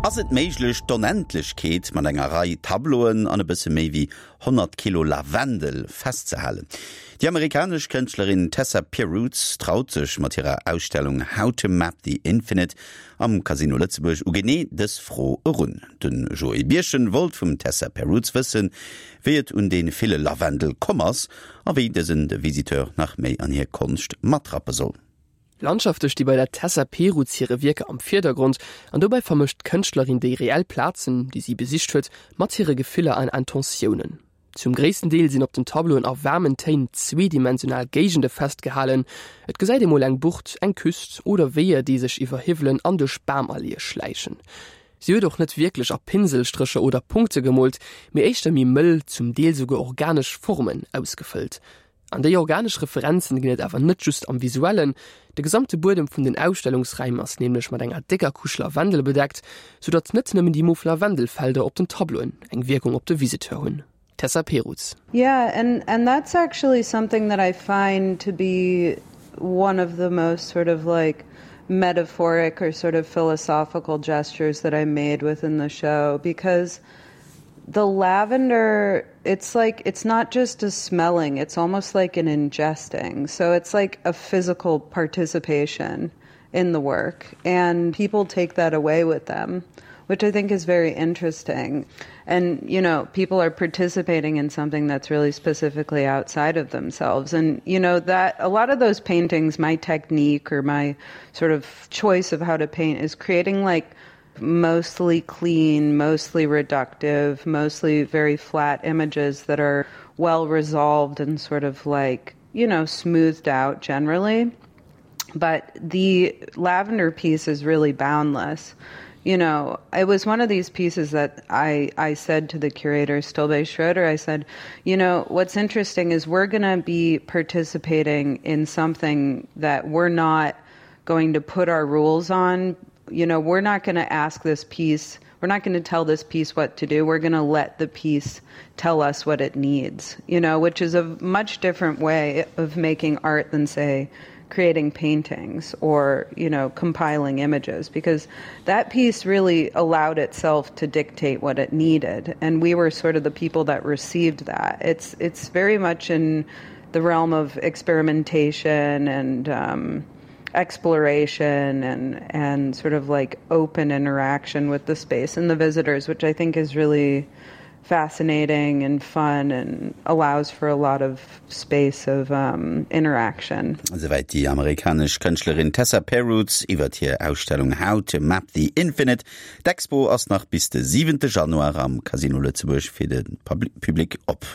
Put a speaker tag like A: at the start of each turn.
A: Ass et méiglech, d'Onendlechkeet mat enger Rei Tableauen an e bësse méi wéi 100 Kilo Lavendel festzehalen? Déi amerikanesch Kënschtlerin Tessa Perutz traut sech mat hirer Ausstellung How to Map the Infinite am Casino Lëtzebuerg u genee dës Fro erun. De Joé Birchen wollt vum Tessa Perutz wëssen, wéi et un dee ville Lavendel komm ass a wéi dësen de Visiteur nach méi an hir Konscht matrappe soll.
B: Landschafte sti bei der Tessa Perutz hire Wierker am Virdergrond an dobäi vermëscht d'Kënschtlerin déi reell Plazen, déi si besicht huet, mat hire Gefiller an Intentiounen. Zum gréissten Deel sinn op den Tableauen a waarmen Téin zweedimensional Géigende festgehalen. Et gesäit ee mol eng Bucht, eng Küst oder Weeër, déi sech iwwer Hiwwelen an duerch Bamalleeë schläichen. Si huet och net wierklech a Pinselstrécher oder Punkte gemoolt, mee éischter méi mëll, zum Deel souguer organesch Formen ausgefëllt. An déi organesch Referenzen ginn et awer net just am Visuellen. De gesamte Buedem vun den Ausstellungsräim ass nämlech mat enger décker Couche Lavendel bedeckt, soudatt net nëmmen déi mof Lavendelfelder op den Tableauen eng Wierkung op de Visiteur hunn. Tessa Perutz.
C: Yeah, and and that's actually something that I find to be one of the most sort of like metaphoric or sort of philosophical gestures that I made within the show because the lavender it's like it's not just a smelling it's almost like an ingesting so it's like a physical participation in the work and people take that away with them which I think is very interesting and you know people are participating in something that's really specifically outside of themselves and you know that a lot of those paintings my technique or my sort of choice of how to paint is creating like mostly clean, mostly reductive, mostly very flat images that are well resolved and sort of like, you know, smoothed out generally. But the lavender piece is really boundless. You know, it was one of these pieces that I, I said to the curator Stolbe Schroeder, I said, you know, what's interesting is we're going to be participating in something that we're not going to put our rules on you know, we're not going to ask this piece, we're not going to tell this piece what to do. We're going to let the piece tell us what it needs, you know, which is a much different way of making art than say creating paintings or, you know, compiling images because that piece really allowed itself to dictate what it needed and we were sort of the people that received that. It's it's very much in the realm of experimentation and um exploration and and sort of like open interaction with the space and the visitors, which I think is really fascinating and fun and allows for a lot of space of um, interaction.
A: Souwäit déi amerikanesch Kënschtlerin Tessa Perutz iwwert hir Ausstellung How to Map the Infinite. D'Expo ass nach bis de siwente Januar am Casino Lëtzebuerg fir de Public op.